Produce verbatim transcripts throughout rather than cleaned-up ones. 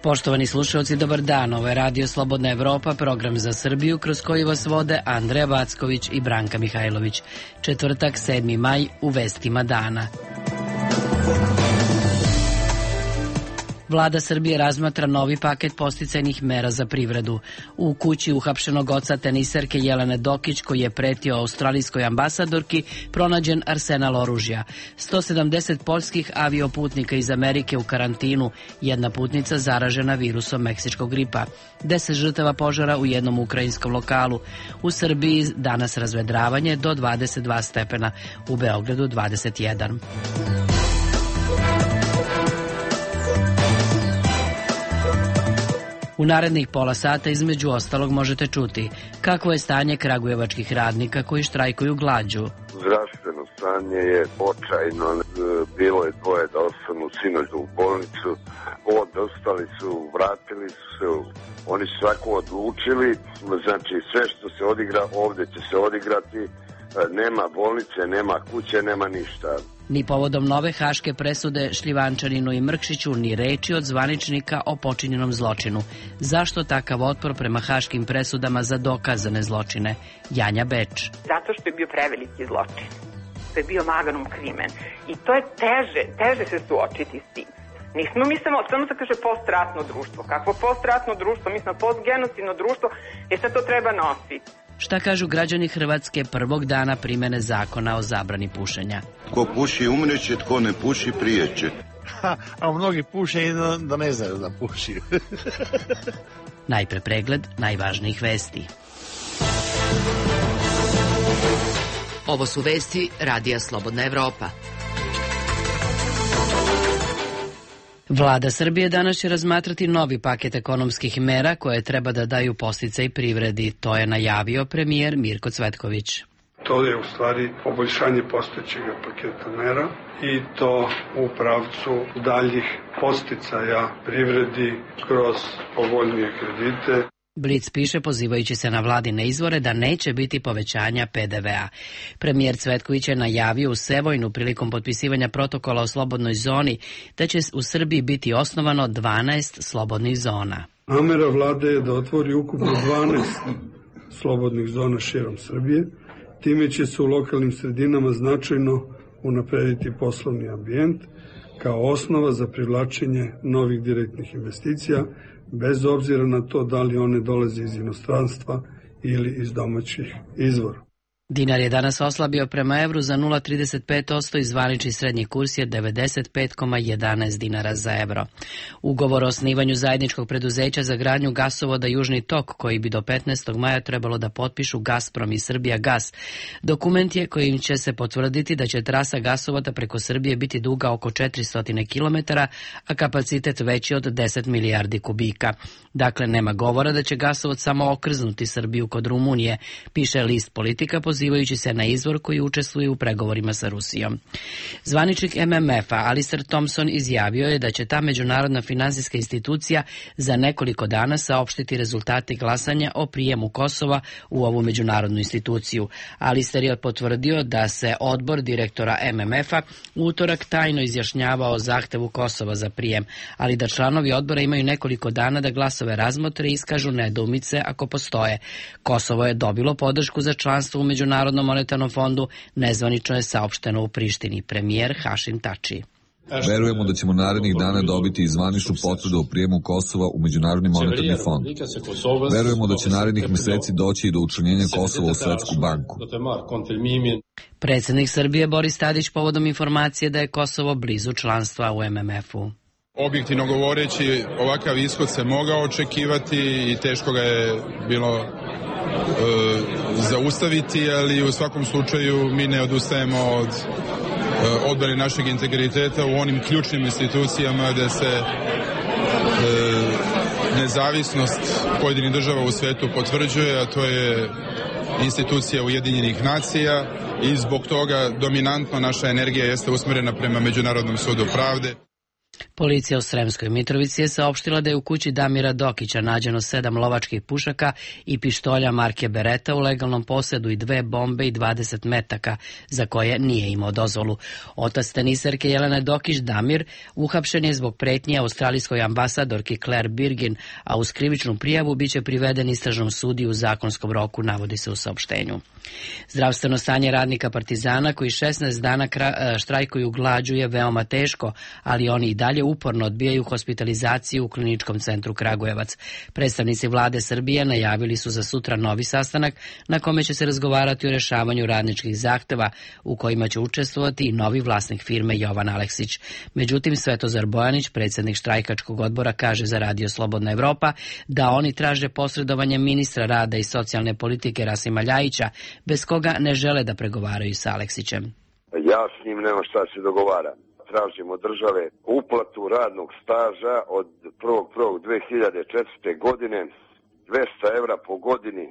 Poštovani slušalci, dobar dan. Ovo je Radio Slobodna Evropa, program za Srbiju kroz koji vas vode Andreja Backović i Branka Mihajlović. Četvrtak, sedmi maj, u vestima dana. Vlada Srbije razmatra novi paket podsticajnih mera za privredu. U kući uhapšenog oca teniserke Jelene Dokić, koji je pretio australijskoj ambasadorki, pronađen arsenal oružja. sto sedamdeset poljskih avioputnika iz Amerike u karantinu, jedna putnica zaražena virusom meksičkog gripa. deset žrtava požara u jednom ukrajinskom lokalu. U Srbiji danas razvedravanje do dvadeset dva stepena, u Beogradu dvadeset jedan. U narednih pola sata između ostalog možete čuti kakvo je stanje kragujevačkih radnika koji štrajkuju glađu. Zdravstveno stanje je očajno, bilo je dvoje da ostanu sinoć u bolnicu, od ostali su, vratili su se, oni su svako odlučili, znači sve što se odigra ovdje će se odigrati, nema bolnice, nema kuće, nema ništa. Ni povodom nove haške presude Šljivančaninu i Mrkšiću, ni reči od zvaničnika o počinjenom zločinu. Zašto takav otpor prema haškim presudama za dokazane zločine? Janja Beč. Zato što je bio preveliki zločin. To je bio magnum crimen. I to je teže, teže se suočiti s tim. Nismo mi samo, samo se kaže postratno društvo. Kakvo postratno društvo? Mi smo postgenocidno društvo, jer sad to treba nositi. Šta kažu građani Hrvatske prvog dana primene zakona o zabrani pušenja? Ko puši umreće, tko ne puši prijeće. Ha, a mnogi puše i da, da ne znaju da puši. Najpre pregled najvažnijih vesti. Ovo su vesti Radija Slobodna Evropa. Vlada Srbije danas će razmatrati novi paket ekonomskih mera koje treba da daju podsticaj privredi. To je najavio premijer Mirko Cvetković. To je u stvari poboljšanje postojećeg paketa mera i to u pravcu daljih podsticaja privredi kroz povoljnije kredite. Blic piše, pozivajući se na vladine izvore, da neće biti povećanja pe de ve a. Premijer Cvetković je najavio u Sevojnu prilikom potpisivanja protokola o slobodnoj zoni da će u Srbiji biti osnovano dvanaest slobodnih zona. Namera vlade je da otvori ukupno dvanaest slobodnih zona širom Srbije. Time će se u lokalnim sredinama značajno unaprediti poslovni ambijent kao osnova za privlačenje novih direktnih investicija, bez obzira na to da li one dolaze iz inostranstva ili iz domaćih izvora. Dinar je danas oslabio prema evru za nula zarez trideset pet posto i zvanični srednji kurs je devedeset pet zarez jedanaest dinara za evro. Ugovor o osnivanju zajedničkog preduzeća za gradnju gasovoda Južni tok, koji bi do petnaestog maja trebalo da potpišu Gazprom i Srbijagas. Dokument je kojim će se potvrditi da će trasa gasovoda preko Srbije biti duga oko četiristo kilometara, a kapacitet veći od deset milijardi kubika. Dakle, nema govora da će gasovod samo okrznuti Srbiju kod Rumunije, piše list Politika, pozivajući se na izvor koji učestvuje u pregovorima sa Rusijom. Zvaničnik em em ef-a Alistair Thompson izjavio je da će ta međunarodna finansijska institucija za nekoliko dana saopštiti rezultate glasanja o prijemu Kosova u ovu međunarodnu instituciju. Alistair je potvrdio da se odbor direktora em em ef-a u utorak tajno izjašnjavao o zahtevu Kosova za prijem, ali da članovi odbora imaju nekoliko dana da glasove razmotre i iskažu nedoumice ako postoje. Kosovo je dobilo podršku za članstvo u Međunarodnom monetarnom fondu, nezvanično je saopšteno u Prištini. Premijer Hašim Tači. Verujemo da ćemo narednih dana dobiti zvaničnu potvrdu o prijemu Kosova u Međunarodni monetarni fond. Verujemo da će narednih meseci doći i do učlanjenja Kosova u Svetsku banku. Predsjednik Srbije Boris Tadić povodom informacije da je Kosovo blizu članstva u em em ef-u. Objektivno govoreći, ovakav ishod se mogao očekivati i teško ga je bilo e, zaustaviti, ali u svakom slučaju mi ne odustajemo od e, odbrane našeg integriteta u onim ključnim institucijama gde se e, nezavisnost pojedinih država u svetu potvrđuje, a to je institucija Ujedinjenih nacija i zbog toga dominantno naša energija jeste usmerena prema Međunarodnom sudu pravde. Policija u Sremskoj Mitrovici je saopštila da je u kući Damira Dokića nađeno sedam lovačkih pušaka i pištolja marke Beretta u legalnom posedu i dve bombe i dvadeset metaka za koje nije imao dozvolu. Otac teniserke Jelene Dokić, Damir, uhapšen je zbog pretnje australijskoj ambasadorki Claire Birgin, a uz krivičnu prijavu biće priveden istražnom sudiji u zakonskom roku, navodi se u saopštenju. Zdravstveno stanje radnika Partizana koji šesnaest dana štrajkuju glađu je veoma teško, ali oni i dalje uporno odbijaju hospitalizaciju u Kliničkom centru Kragujevac. Predstavnici vlade Srbije najavili su za sutra novi sastanak na kome će se razgovarati o rešavanju radničkih zahteva u kojima će učestvovati i novi vlasnik firme Jovan Aleksić. Međutim, Svetozar Bojanić, predsjednik štrajkačkog odbora, kaže za Radio Slobodna Evropa da oni traže posredovanje ministra rada i socijalne politike Rasima Ljajića, bez koga ne žele da pregovaraju sa Aleksićem. Ja s njim nema šta se dogovara. Tražimo države uplatu radnog staža od prvog prvog dve hiljade četvrte. godine, dvesta evra po godini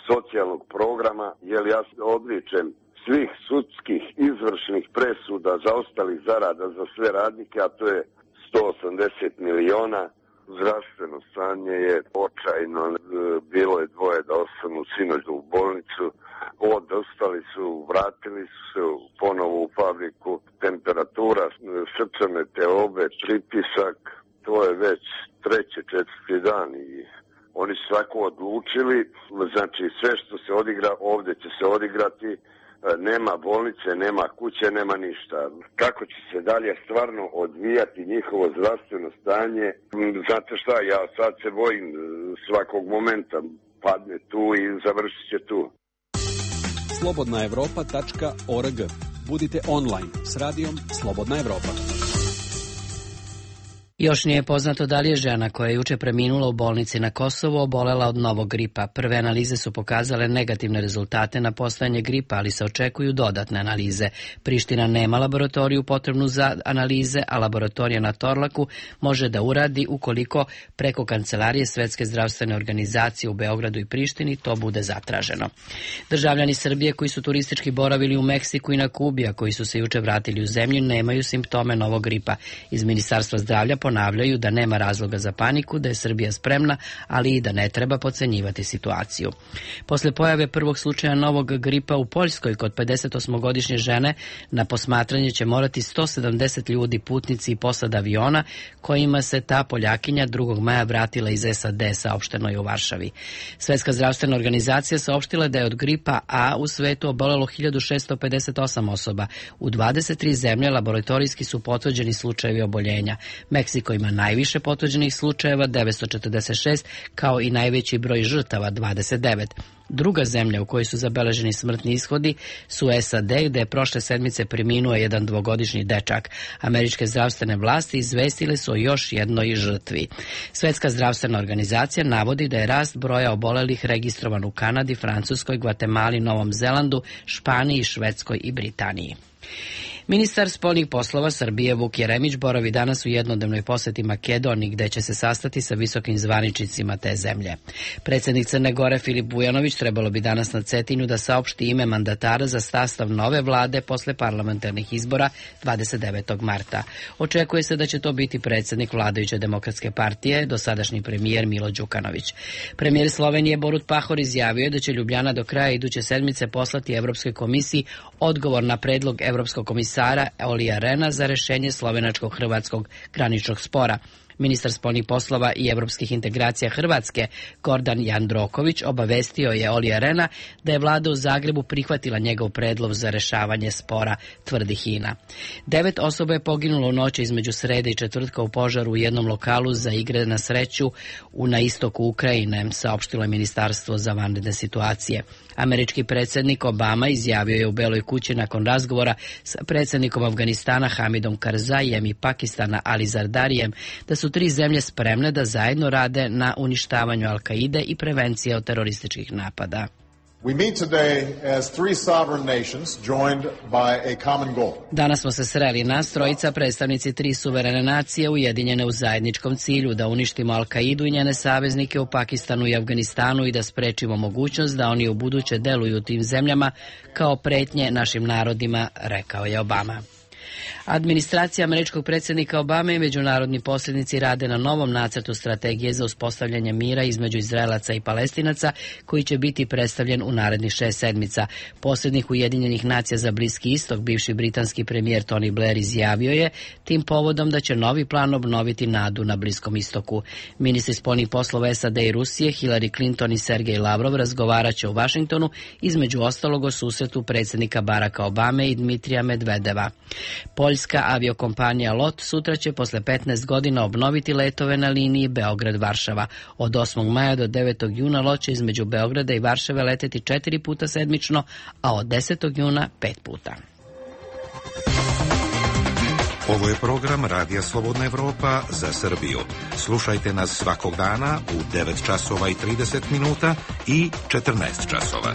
socijalnog programa, jer ja se odričem svih sudskih izvršnih presuda zaostalih zarada za sve radnike, a to je sto osamdeset miliona. Zdravstveno stanje je očajno, bilo je dvoje da ostanu sinoć u bolnicu, odostali su, vratili su se ponovo u fabriku, temperatura, srčane teobe, pritisak, to je već treći, četvrti dan i oni su svako odlučili, znači sve što se odigra ovdje će se odigrati, nema bolnice, nema kuće, nema ništa. Kako će se dalje stvarno odvijati njihovo zdravstveno stanje? Znate šta, ja sad se bojim svakog momenta, padne tu i završit će tu. slobodna evropa tačka org. Budite online s radijom Slobodna Evropa. Još nije poznato da li je žena koja je juče preminula u bolnici na Kosovu obolela od novog gripa. Prve analize su pokazale negativne rezultate na postojanje gripa, ali se očekuju dodatne analize. Priština nema laboratoriju potrebnu za analize, a laboratorija na Torlaku može da uradi ukoliko preko Kancelarije Svetske zdravstvene organizacije u Beogradu i Prištini to bude zatraženo. Državljani Srbije koji su turistički boravili u Meksiku i na Kubi, a koji su se juče vratili u zemlju, nemaju simptome novog gripa. Iz Ministarstva zdravlja ponavljaju da nema razloga za paniku, da je Srbija spremna, ali i da ne treba podcenjivati situaciju. Posle pojave prvog slučaja novog gripa u Poljskoj kod pedesetosmogodišnje žene, na posmatranje će morati sto sedamdeset ljudi, putnici i posada aviona, kojima se ta Poljakinja drugog maja vratila iz S A D, saopšteno je u Varšavi. Svetska zdravstvena organizacija saopštila da je od gripa A u svetu obolelo hiljadu šesto pedeset osam osoba. U dvadeset tri zemlje laboratorijski su potvrđeni slučajevi oboljenja. Meksiko ima najviše potvrđenih slučajeva, devetsto četrdeset šest, kao i najveći broj žrtava, dvadeset devet. Druga zemlja u kojoj su zabeleženi smrtni ishodi su S A D, gde je prošle sedmice preminuo jedan dvogodišnji dečak. Američke zdravstvene vlasti izvestile su o još jednoj žrtvi. Svetska zdravstvena organizacija navodi da je rast broja obolelih registrovan u Kanadi, Francuskoj, Gvatemali, Novom Zelandu, Španiji, Švedskoj i Britaniji. Ministar spoljnih poslova Srbije Vuk Jeremić boravi danas u jednodnevnoj poseti Makedoniji, gde će se sastati sa visokim zvaničnicima te zemlje. Predsjednik Crne Gore Filip Vujanović trebalo bi danas na Cetinju da saopšti ime mandatara za sastav nove vlade posle parlamentarnih izbora dvadeset devetog marta. Očekuje se da će to biti predsjednik vladajuće demokratske partije, dosadašnji premijer Milo Đukanović. Premijer Slovenije Borut Pahor izjavio je da će Ljubljana do kraja iduće sedmice poslati Evropskoj komisiji odgovor na predlog Evropskog komisara Olija Rena za rešenje slovenačko-hrvatskog graničnog spora. Ministar spoljnih poslova i evropskih integracija Hrvatske Gordan Jandroković obavestio je Olija Rena da je vlada u Zagrebu prihvatila njegov predlog za rešavanje spora, tvrdi Hina. Devet osoba je poginulo u noći između srede i četvrtka u požaru u jednom lokalu za igre na sreću u na istoku Ukrajine, saopštilo je Ministarstvo za vanredne situacije. Američki predsjednik Obama izjavio je u Beloj kući nakon razgovora sa predsjednikom Afganistana Hamidom Karzajem i Pakistana Ali Zardarijem da su tri zemlje spremne da zajedno rade na uništavanju Al-Kaide i prevencije od terorističkih napada. We meet today as three sovereign nations joined by a common goal. Danas smo se sreli nas trojica, predstavnici tri suverene nacije ujedinjene u zajedničkom cilju da uništimo Al-Kaidu i njene saveznike u Pakistanu i Afganistanu i da sprečimo mogućnost da oni u buduće deluju u tim zemljama kao pretnje našim narodima, rekao je Obama. Administracija američkog predsjednika Obame i međunarodni posrednici rade na novom nacrtu strategije za uspostavljanje mira između Izraelaca i Palestinaca, koji će biti predstavljen u narednih šest sedmica. Posrednik Ujedinjenih nacija za Bliski istok, bivši britanski premijer Tony Blair, izjavio je tim povodom da će novi plan obnoviti nadu na Bliskom istoku. Ministri spoljnih poslova S A D i Rusije, Hillary Clinton i Sergej Lavrov, razgovarat će u Vašingtonu, između ostalog o susretu predsjednika Baracka Obame i Dmitrija Medvedeva. Poljska aviokompanija LOT sutra će posle petnaest godina obnoviti letove na liniji Beograd-Varšava. Od osmog maja do devetog juna LOT će između Beograda i Varšave leteti četiri puta sedmično, a od desetog juna pet puta. Ovo je program Radija Slobodna Evropa za Srbiju. Slušajte nas svakog dana u devet časova i trideset minuta i četrnaest časova.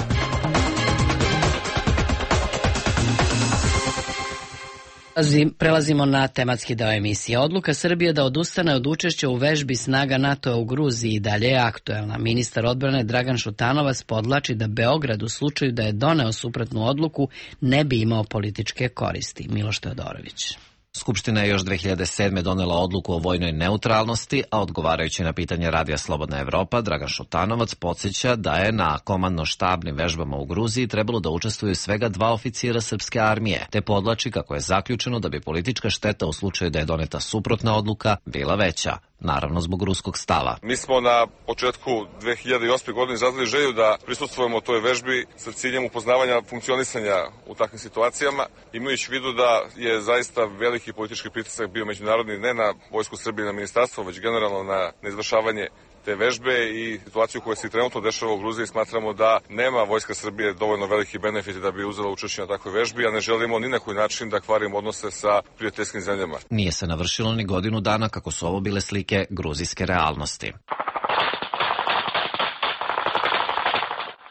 Prelazimo na tematski deo emisije. Odluka Srbije da odustane od učešća u vežbi snaga NATO u Gruziji i dalje je aktuelna. Ministar odbrane Dragan Šutanovac podvlači da Beograd u slučaju da je doneo suprotnu odluku ne bi imao političke koristi. Miloš Teodorović. Skupština je još dve hiljade sedme donela odluku o vojnoj neutralnosti, a odgovarajući na pitanje Radija Slobodna Evropa, Dragan Šutanovac podsjeća da je na komandno-štabnim vežbama u Gruziji trebalo da učestvuju svega dva oficira srpske armije, te podvlači kako je zaključeno da bi politička šteta u slučaju da je doneta suprotna odluka bila veća. Naravno zbog ruskog stava. Mi smo na početku dve hiljade osme. godine izrazili želju da prisustvujemo toj vežbi sa ciljem upoznavanja funkcionisanja u takvim situacijama, imajući u vidu da je zaista veliki politički pritisak bio međunarodni, ne na Vojsku Srbije i na ministarstvo, već generalno na, na izvršavanje te vežbe i situaciju koja se trenutno dešava u Gruziji. Smatramo da nema Vojska Srbije dovoljno veliki benefit da bi uzela učešće na takvoj vežbi, a ne želimo ni na koji način da kvarimo odnose sa prijateljskim zemljama. Nije se navršilo ni godinu dana kako su ovo bile slike gruzijske realnosti.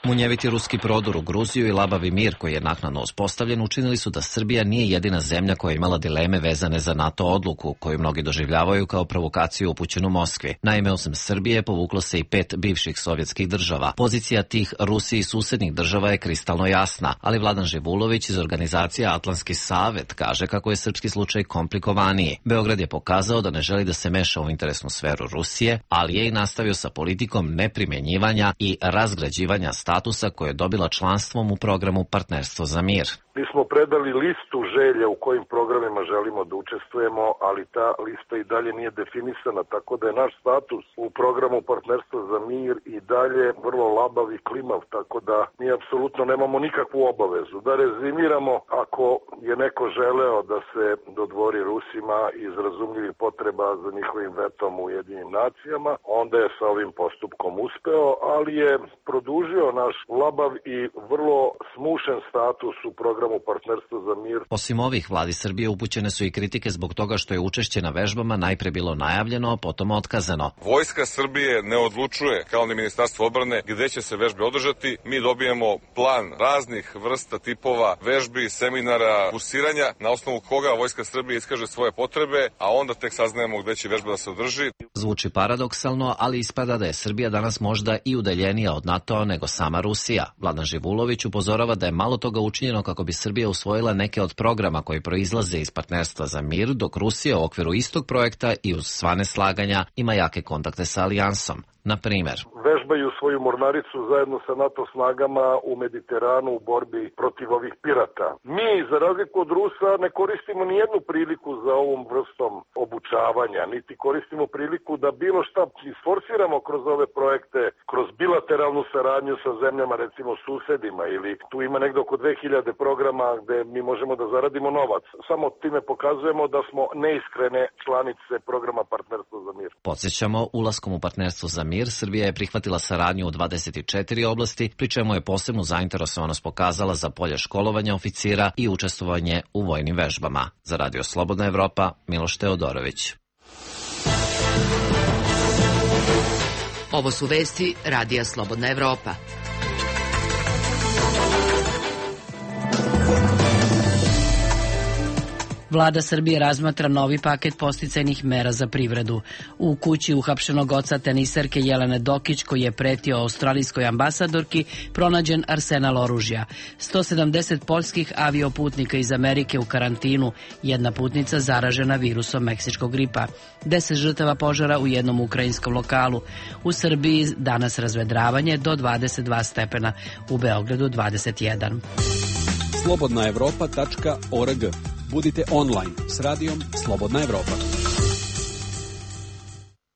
Munjeviti ruski prodor u Gruziju i labavi mir koji je naknadno uspostavljen učinili su da Srbija nije jedina zemlja koja je imala dileme vezane za NATO odluku, koju mnogi doživljavaju kao provokaciju upućenu Moskvi. Naime, osim Srbije povuklo se i pet bivših sovjetskih država. Pozicija tih Rusiji i susednih država je kristalno jasna, ali Vladan Živulović iz organizacije Atlantski savet kaže kako je srpski slučaj komplikovaniji. Beograd je pokazao da ne želi da se meša u interesnu sferu Rusije, ali je i nastavio sa politikom neprimjenjivanja i razgrađivanja statusa koje je dobila članstvom u programu Partnerstvo za mir. Mi smo predali listu želja u kojim programima želimo da učestvujemo, ali ta lista i dalje nije definisana, tako da je naš status u programu Partnerstva za mir i dalje vrlo labav i klimav, tako da mi apsolutno nemamo nikakvu obavezu. Da rezimiramo, ako je neko želeo da se dodvori Rusima iz razumljivih potreba za njihovim vetom u Ujedinjenim nacijama, onda je sa ovim postupkom uspeo, ali je produžio naš labav i vrlo smušen status u programu Partnerstvo za mir. Osim ovih, vladi Srbije upućene su i kritike zbog toga što je učešće na vežbama najpre bilo najavljeno, a potom otkazano. Vojska Srbije ne odlučuje, kao ni Ministarstvo odbrane, gde će se vežbe održati. Mi dobijemo plan raznih vrsta tipova vežbi, seminara, kursiranja, na osnovu koga Vojska Srbije iskaže svoje potrebe, a onda tek saznajemo gde će vežba da se održi. Zvuči paradoksalno, ali ispada da je Srbija danas možda i udaljenija od NATO nego sama Rusija. Vladan Živulović upozorava da je malo toga učinjeno kako bi Srbija usvojila neke od programa koji proizlaze iz Partnerstva za mir, dok Rusija u okviru istog projekta i uz sva neslaganja ima jake kontakte sa alijansom. Na primer, vežbaju svoju mornaricu zajedno sa NATO snagama u Mediteranu u borbi protiv ovih pirata. Mi, za razliku od Rusa, ne koristimo ni jednu priliku za ovom vrstom obučavanja, niti koristimo priliku da bilo šta isforsiramo kroz ove projekte, kroz bilateralnu saradnju sa zemljama, recimo susedima, ili tu ima negde oko dve hiljade programa gde mi možemo da zaradimo novac. Samo time pokazujemo da smo neiskrene članice programa Partnerstvo za mir. Podsjećamo, ulaskom u Partnerstvo za mir Srbija je prihvatila saradnju u dvadeset četiri oblasti, pri čemu je posebnu zainteresovanost pokazala za polje školovanja oficira i učestvovanje u vojnim vežbama. Za Radio Slobodna Evropa, Miloš Teodorović. Ovo su vesti Radija Slobodna Evropa. Vlada Srbije razmatra novi paket podsticajnih mera za privredu. U kući uhapšenog oca teniserke Jelene Dokić, koji je pretio australijskoj ambasadorki, pronađen arsenal oružja. sto sedamdeset poljskih avioputnika iz Amerike u karantinu, jedna putnica zaražena virusom meksičkog gripa. Deset žrtava požara u jednom ukrajinskom lokalu. U Srbiji danas razvedravanje do dvadeset dva stepena, u Beogradu dvadeset jedan. slobodna evropa tačka org. Budite online s radijom Slobodna Evropa.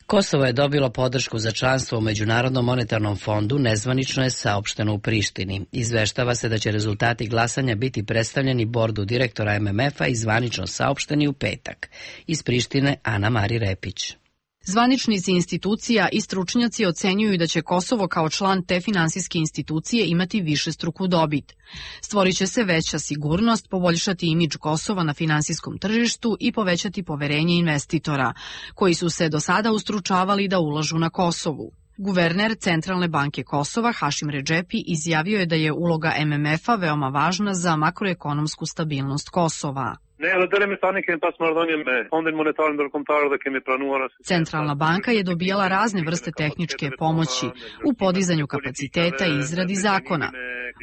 Kosovo je dobilo podršku za članstvo u Međunarodnom monetarnom fondu, nezvanično je saopšteno u Prištini. Izveštava se da će rezultati glasanja biti predstavljeni bordu direktora M M F-a i zvanično saopšteni u petak. Iz Prištine Ana Mari Repić. Zvaničnici institucija i stručnjaci ocenjuju da će Kosovo kao član te finansijske institucije imati višestruku dobit. Stvorit će se veća sigurnost, poboljšati imidž Kosova na finansijskom tržištu i povećati poverenje investitora, koji su se do sada ustručavali da ulažu na Kosovu. Guverner Centralne banke Kosova Hašim Redžepi izjavio je da je uloga M M F-a veoma važna za makroekonomsku stabilnost Kosova. Centralna banka je dobijala razne vrste tehničke pomoći u podizanju kapaciteta i izradi zakona.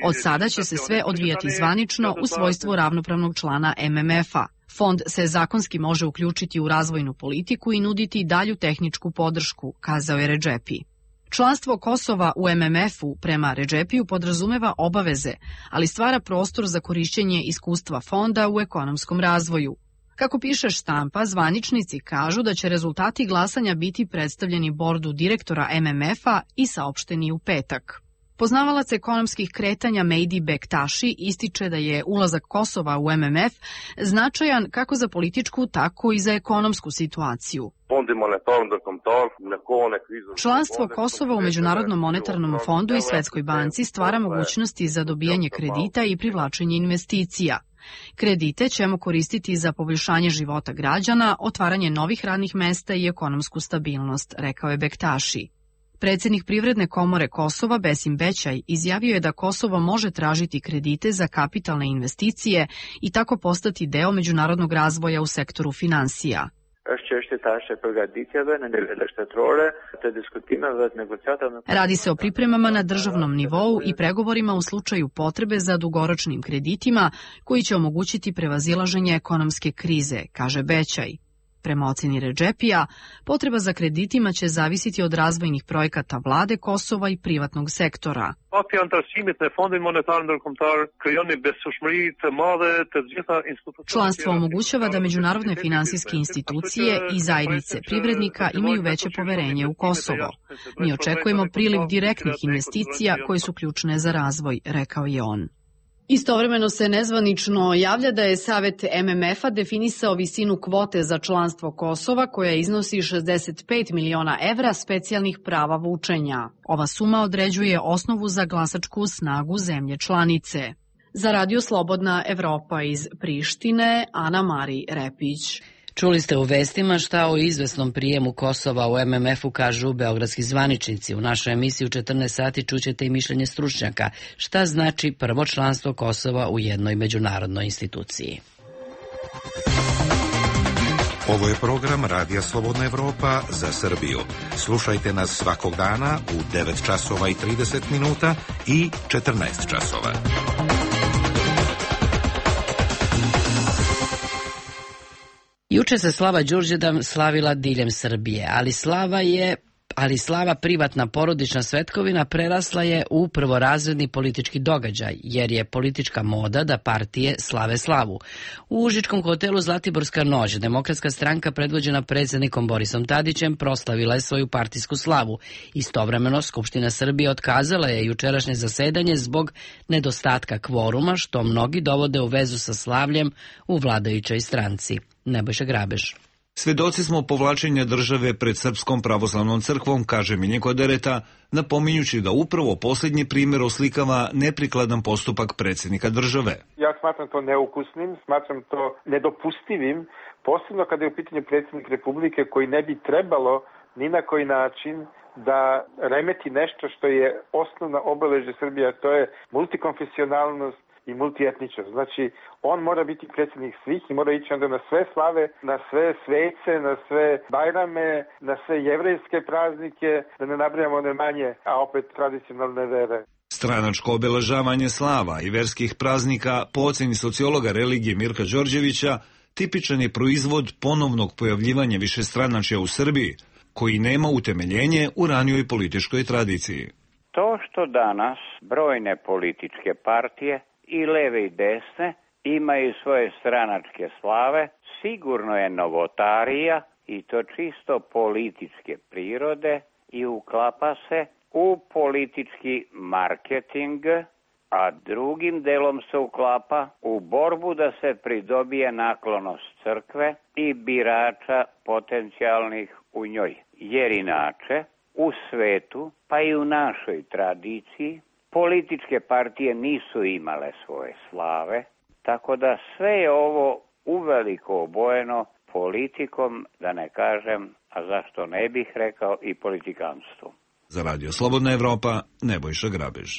Od sada će se sve odvijati zvanično u svojstvu ravnopravnog člana M M F-a. Fond se zakonski može uključiti u razvojnu politiku i nuditi dalju tehničku podršku, kazao je Redžepi. Članstvo Kosova u M M F-u prema Redžepiju podrazumeva obaveze, ali stvara prostor za korišćenje iskustva fonda u ekonomskom razvoju. Kako piše štampa, zvaničnici kažu da će rezultati glasanja biti predstavljeni bordu direktora M M F-a i saopšteni u petak. Poznavalac ekonomskih kretanja Mejdi Bektaši ističe da je ulazak Kosova u M M F značajan kako za političku, tako i za ekonomsku situaciju. Članstvo Kosova u Međunarodnom monetarnom fondu i Svetskoj banci stvara mogućnosti za dobijanje kredita i privlačenje investicija. Kredite ćemo koristiti za poboljšanje života građana, otvaranje novih radnih mesta i ekonomsku stabilnost, rekao je Bektaši. Predsjednik Privredne komore Kosova Besim Bećaj izjavio je da Kosovo može tražiti kredite za kapitalne investicije i tako postati deo međunarodnog razvoja u sektoru finansija. Radi se o pripremama na državnom nivou i pregovorima u slučaju potrebe za dugoročnim kreditima koji će omogućiti prevazilaženje ekonomske krize, kaže Bećaj. Prema oceni Redžepija, potreba za kreditima će zavisiti od razvojnih projekata vlade Kosova i privatnog sektora. Članstvo omogućava da međunarodne finansijske institucije i zajednice privrednika imaju veće poverenje u Kosovo. Mi očekujemo priliv direktnih investicija koje su ključne za razvoj, rekao je on. Istovremeno se nezvanično javlja da je Savet M M F-a definisao visinu kvote za članstvo Kosova koja iznosi šezdeset pet miliona evra specijalnih prava vučenja. Ova suma određuje osnovu za glasačku snagu zemlje članice. Za Radio Slobodna Evropa iz Prištine, Ana Mari Repić. Čuli ste u vestima šta o izvesnom prijemu Kosova u M M F-u kažu beogradski zvaničnici. U našoj emisiji u četrnaest sati čućete i mišljenje stručnjaka. Šta znači prvo članstvo Kosova u jednoj međunarodnoj instituciji? Ovo je program Radija Slobodna Evropa za Srbiju. Slušajte nas svakog dana u devet časova i trideset minuta i četrnaest časova. Juče se slava Đurđevdan slavila diljem Srbije, ali slava je ali slava privatna porodična svetkovina prerasla je u prvorazredni politički događaj, jer je politička moda da partije slave slavu. U užičkom hotelu Zlatiborska noć Demokratska stranka predvođena predsjednikom Borisom Tadićem proslavila je svoju partijsku slavu. Istovremeno Skupština Srbije otkazala je jučerašnje zasedanje zbog nedostatka kvoruma, što mnogi dovode u vezu sa slavljem u vladajućoj stranci. Nebojša Grabež. Svedoci smo povlačenja države pred Srpskom pravoslavnom crkvom, kaže Miljenko Dereta, napominjući da upravo posljednji primjer oslikava neprikladan postupak predsjednika države. Ja smatram to neukusnim, smatram to nedopustivim, posebno kada je u pitanju predsjednik Republike koji ne bi trebalo ni na koji način da remeti nešto što je osnovna obeležje Srbije, to je multikonfesionalnost i multietničan. Znači, on mora biti predsjednik svih i mora ići onda na sve slave, na sve svece, na sve bajrame, na sve jevrejske praznike, da ne nabrajamo one manje, a opet tradicionalne vere. Stranačko obeležavanje slava i verskih praznika, po oceni sociologa religije Mirka Đorđevića, tipičan je proizvod ponovnog pojavljivanja višestranačja u Srbiji, koji nema utemeljenje u ranijoj političkoj tradiciji. To što danas brojne političke partije, i leve i desne, imaju svoje stranačke slave, sigurno je novotarija i to čisto političke prirode i uklapa se u politički marketing, a drugim delom se uklapa u borbu da se pridobije naklonost crkve i birača potencijalnih u njoj. Jer inače, u svetu, pa i u našoj tradiciji, političke partije nisu imale svoje slave, tako da sve je ovo uveliko obojeno politikom, da ne kažem, a zašto ne bih rekao, i politikanstvom. Za Radio Slobodna Evropa, Nebojša Grabež.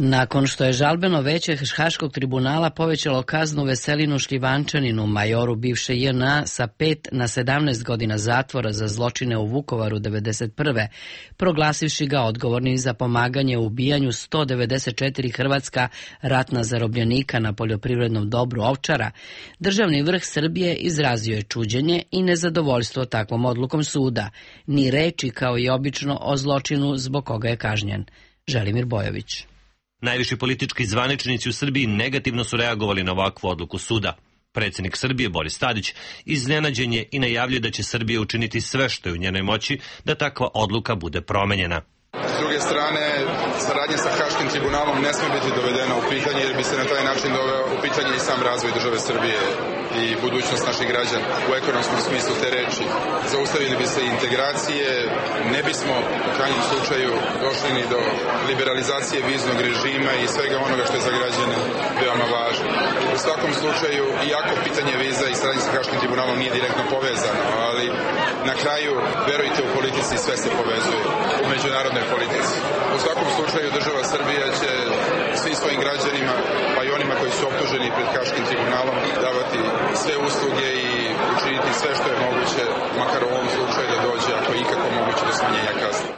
Nakon što je žalbeno veće Haškog tribunala povećalo kaznu Veselinu Šljivančaninu, majoru bivše J N A, sa pet na sedamnaest godina zatvora za zločine u Vukovaru devedeset prve, proglasivši ga odgovornim za pomaganje u ubijanju sto devedeset četiri hrvatska ratna zarobljenika na poljoprivrednom dobru Ovčara, državni vrh Srbije izrazio je čuđenje i nezadovoljstvo takvom odlukom suda, ni reči kao i obično o zločinu zbog koga je kažnjen. Želimir Bojović. Najviši politički zvaničnici u Srbiji negativno su reagovali na ovakvu odluku suda. Predsjednik Srbije Boris Tadić iznenađen je i najavljuje da će Srbija učiniti sve što je u njenoj moći da takva odluka bude promenjena. S druge strane, saradnja sa Haškim tribunalom ne smije biti dovedena u pitanje jer bi se na taj način doveo u pitanje i sam razvoj države Srbije i budućnost naših građana u ekonomskom smislu te reči. Zaustavili bi se integracije, ne bismo u krajnjem slučaju došli ni do liberalizacije viznog režima i svega onoga što je za građane veoma važno. U svakom slučaju, iako pitanje viza i saradnja sa Haškim tribunalom nije direktno povezano, ali na kraju, verujte, u politici sve se povezuje, u međunarodnoj politici. U svakom slučaju država Srbija će svim svojim građanima, pa i onima koji su optuženi pred Haškim tribunalom, davati sve usluge i učiniti sve što je moguće, makar u ovom slučaju da dođe, ako je ikako moguće, do smanjenja kazne.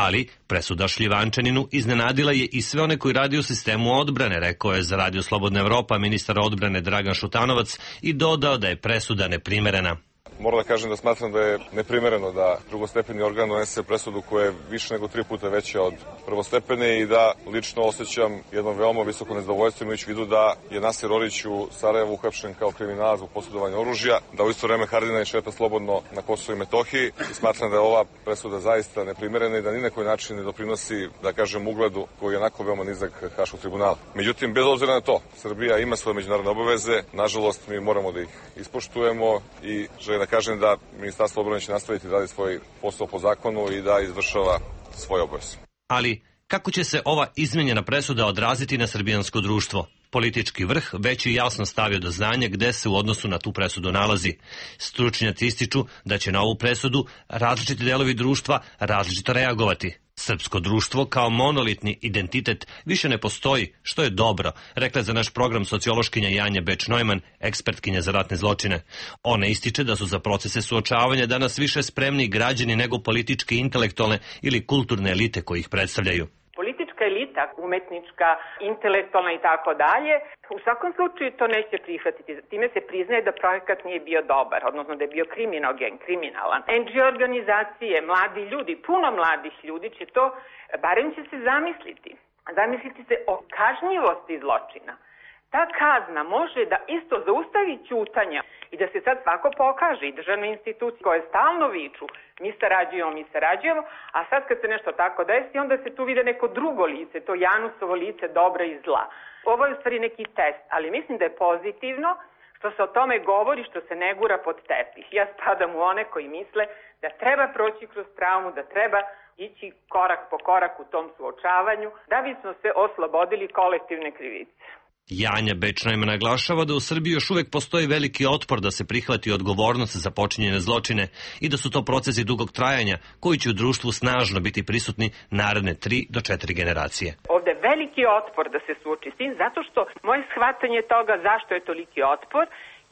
Ali presuda Šljivančaninu iznenadila je i sve one koji radi u sistemu odbrane, rekao je za Radio Slobodna Evropa ministar odbrane Dragan Šutanovac i dodao da je presuda neprimerena. Moram da kažem da smatram da je neprimereno da drugostepeni organ donese presudu koja je više nego tri puta veća od prvostepene i da lično osjećam jedno veoma visoko nezadovoljstvo imajući u vidu da je Nasir Orić u Sarajevu uhapšen kao kriminalac zbog posjedovanja oružja, da u isto vreme Haradinaj šeta slobodno na Kosovu i Metohiji. I smatram da je ova presuda zaista neprimerena i da ni na koji način ne doprinosi, da kažem, ugledu koji je onako veoma nizak Haškog tribunala. Međutim, bez obzira na to, Srbija ima svoje međunarodne obaveze, nažalost mi moramo da ih ispoštujemo i želim da kažem da Ministarstvo odbrane će nastaviti da radi svoj posao po zakonu i da izvršava svoje obaveze. Ali kako će se ova izmenjena presuda odraziti na srbijansko društvo? Politički vrh već je jasno stavio do znanja gde se u odnosu na tu presudu nalazi. Stručnjaci ističu da će na ovu presudu različiti delovi društva različito reagovati. Srpsko društvo kao monolitni identitet više ne postoji, što je dobro, rekla za naš program sociološkinja Janja Beč-Neumann, ekspertkinja za ratne zločine. Ona ističe da su za procese suočavanja danas više spremni građani nego političke, intelektualne ili kulturne elite koji ih predstavljaju. Politička elita, umetnička, intelektualna i tako dalje, u svakom slučaju to neće prihvatiti. Time se priznaje da projekat nije bio dobar, odnosno da je bio kriminogen, kriminalan. en dži o organizacije, mladi ljudi, puno mladih ljudi će to, barem će se zamisliti. Zamisliti se o kažnjivosti zločina. Ta kazna može da isto zaustavi ćutanja i da se sad svako pokaže i državne institucije koje stalno viču mi sarađujemo, mi sarađujemo, a sad kad se nešto tako desi, onda se tu vide neko drugo lice, to Janusovo lice dobra i zla. Ovo je u stvari neki test, ali mislim da je pozitivno što se o tome govori, što se ne gura pod tepih. Ja spadam u one koji misle da treba proći kroz traumu, da treba ići korak po korak u tom suočavanju, da bismo se oslobodili kolektivne krivice. Janja Bečnajma naglašava da u Srbiji još uvek postoji veliki otpor da se prihvati odgovornost za počinjene zločine i da su to procesi dugog trajanja koji će u društvu snažno biti prisutni naredne tri do četiri generacije. Ovde je veliki otpor da se suoči s tim, zato što moje shvatanje toga zašto je toliki otpor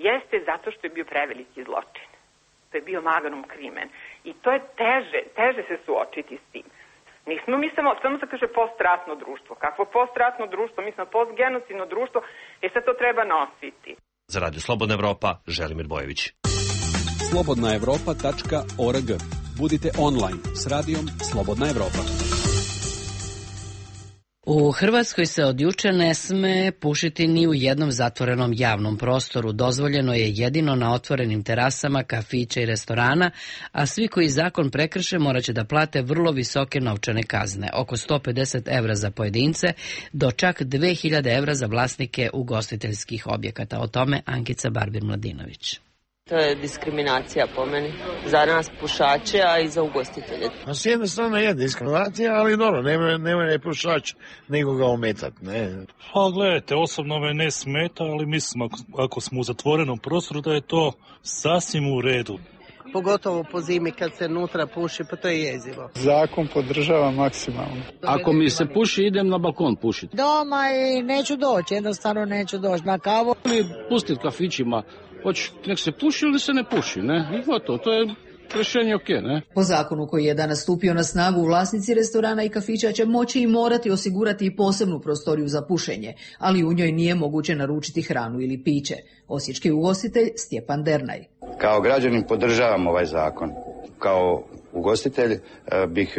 jeste zato što je bio preveliki zločin. To je bio magnum krimen. I to je teže, teže se suočiti s tim. Nismo mi samo, samo se kaže postratno društvo. Kakvo postratno društvo? Mi smo postgenocidno društvo, e sad to treba nositi. Za Radio Slobodna Evropa, Želimir Bojević. slobodna evropa tačka org. Budite online s radijom Slobodna Evropa. U Hrvatskoj se od juče ne sme pušiti ni u jednom zatvorenom javnom prostoru. Dozvoljeno je jedino na otvorenim terasama, kafića i restorana, a svi koji zakon prekrše morat će da plate vrlo visoke novčane kazne, oko sto pedeset evra za pojedince, do čak dve hiljade evra za vlasnike ugostiteljskih objekata. O tome Ankica Barbir-Mladinović. To je diskriminacija po meni, za nas pušače, a i za ugostitelje. A s jedne strane je diskriminacija, ali dobro, nema, nema ne pušač, nego ga ometat, ne? Pa gledajte, osobno me ne smeta, ali mislim ako, ako smo u zatvorenom prostoru da je to sasvim u redu. Pogotovo po zimi kad se nutra puši, pa to je jezivo. Zakon podržava maksimalno. Ako mi se puši, idem na balkon pušiti. Doma i neću doći, jednostavno neću doći na kavu. Ili pustiti kafićima. Hoće nek se puši ili se ne puši, ne? I gotovo, to je rješenje ok, ne? Po zakonu koji je danas stupio na snagu, vlasnici restorana i kafića će moći i morati osigurati i posebnu prostoriju za pušenje, ali u njoj nije moguće naručiti hranu ili piće. Osječki ugostitelj Stjepan Dernaj. Kao građanin podržavam ovaj zakon. Kao ugostitelj bih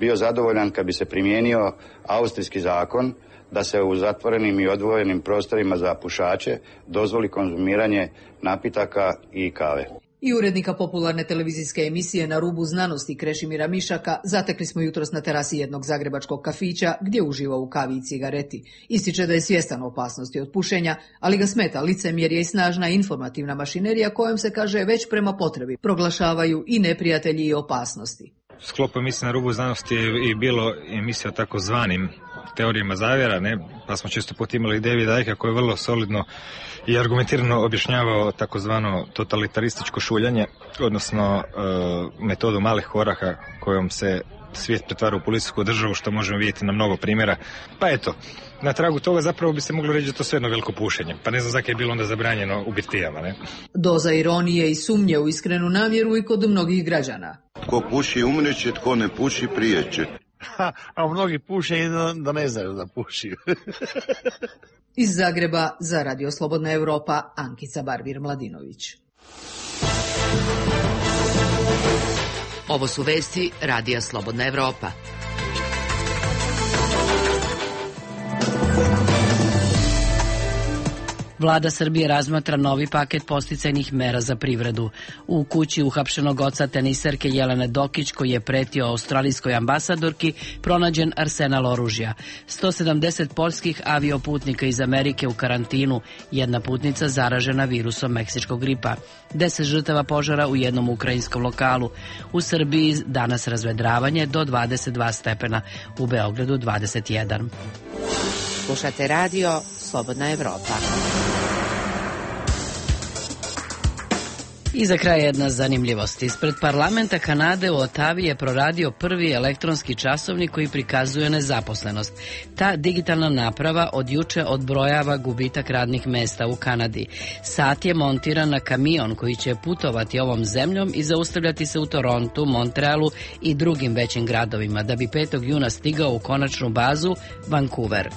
bio zadovoljan kad bi se primijenio austrijski zakon da se u zatvorenim i odvojenim prostorima za pušače dozvoli konzumiranje napitaka i kave. I urednika popularne televizijske emisije Na rubu znanosti Krešimira Mišaka zatekli smo jutros na terasi jednog zagrebačkog kafića gdje uživa u kavi i cigareti. Ističe da je svjestan opasnosti od pušenja, ali ga smeta licemjerje i snažna informativna mašinerija kojom se, kaže, već prema potrebi proglašavaju i neprijatelji i opasnosti. Sklopu emisije Na rubu znanosti je i bilo emisija o takozvanim teorijama zavjera, ne? Pa smo često put imali Davida Icke koji je vrlo solidno i argumentirano objašnjavao takozvano totalitarističko šuljanje, odnosno e, metodu malih koraka kojom se svijet pretvara u policijsku državu, što možemo vidjeti na mnogo primjera. Pa eto, na tragu toga zapravo bi se moglo reći da to sve jedno veliko pušenje. Pa ne znam zakaj je bilo onda zabranjeno u birtijama, ne? Doza ironije i sumnje u iskrenu namjeru i kod mnogih građana. Tko puši umreće, tko ne puši prijeće. Ha, a mnogi puše i da, da ne znaju da puši. Iz Zagreba za Radio Slobodna Evropa, Ankica Barbir-Mladinović. Ovo su vesti Radija Slobodna Evropa. Vlada Srbije razmatra novi paket podsticajnih mera za privredu. U kući uhapšenog oca teniserke Jelene Dokić, koji je pretio australijskoj ambasadorki, pronađen arsenal oružja. sto sedamdeset poljskih avioputnika iz Amerike u karantinu, jedna putnica zaražena virusom meksičkog gripa. deset žrtava požara u jednom ukrajinskom lokalu. U Srbiji danas razvedravanje do dvadeset dva stepena, u Beogradu dvadeset jedan. Slušate radio Slobodna Evropa. I za kraj jedna zanimljivost. Ispred parlamenta Kanade u Otavi je proradio prvi elektronski časovnik koji prikazuje nezaposlenost. Ta digitalna naprava od juče odbrojava gubitak radnih mesta u Kanadi. Sat je montiran na kamion koji će putovati ovom zemljom i zaustavljati se u Torontu, Montrealu i drugim većim gradovima, da bi petog juna stigao u konačnu bazu Vancouver.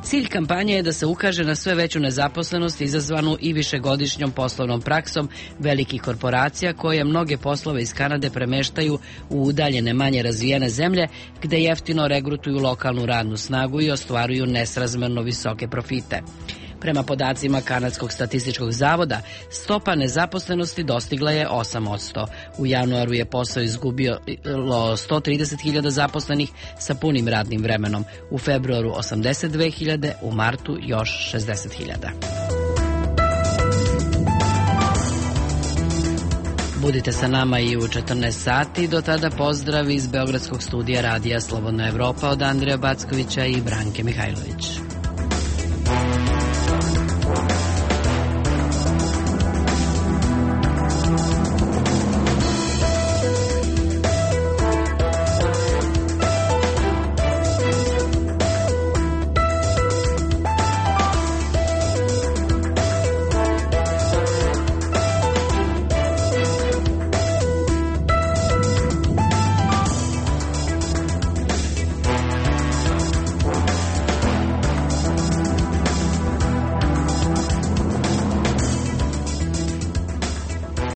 Cilj kampanje je da se ukaže na sve veću nezaposlenost izazvanu i višegodišnjom poslovnom praksom velikih korporacija koje mnoge poslove iz Kanade premeštaju u udaljene manje razvijene zemlje gde jeftino regrutuju lokalnu radnu snagu i ostvaruju nesrazmerno visoke profite. Prema podacima Kanadskog statističkog zavoda, stopa nezaposlenosti dostigla je osam posto. U januaru je posao izgubio sto trideset hiljada zaposlenih sa punim radnim vremenom, u februaru osamdeset dve hiljade, u martu još šezdeset hiljada. Budite sa nama i u četrnaest sati, do tada pozdrav iz Beogradskog studija Radija Slobodna Evropa od Andreja Backovića i Branke Mihajlović.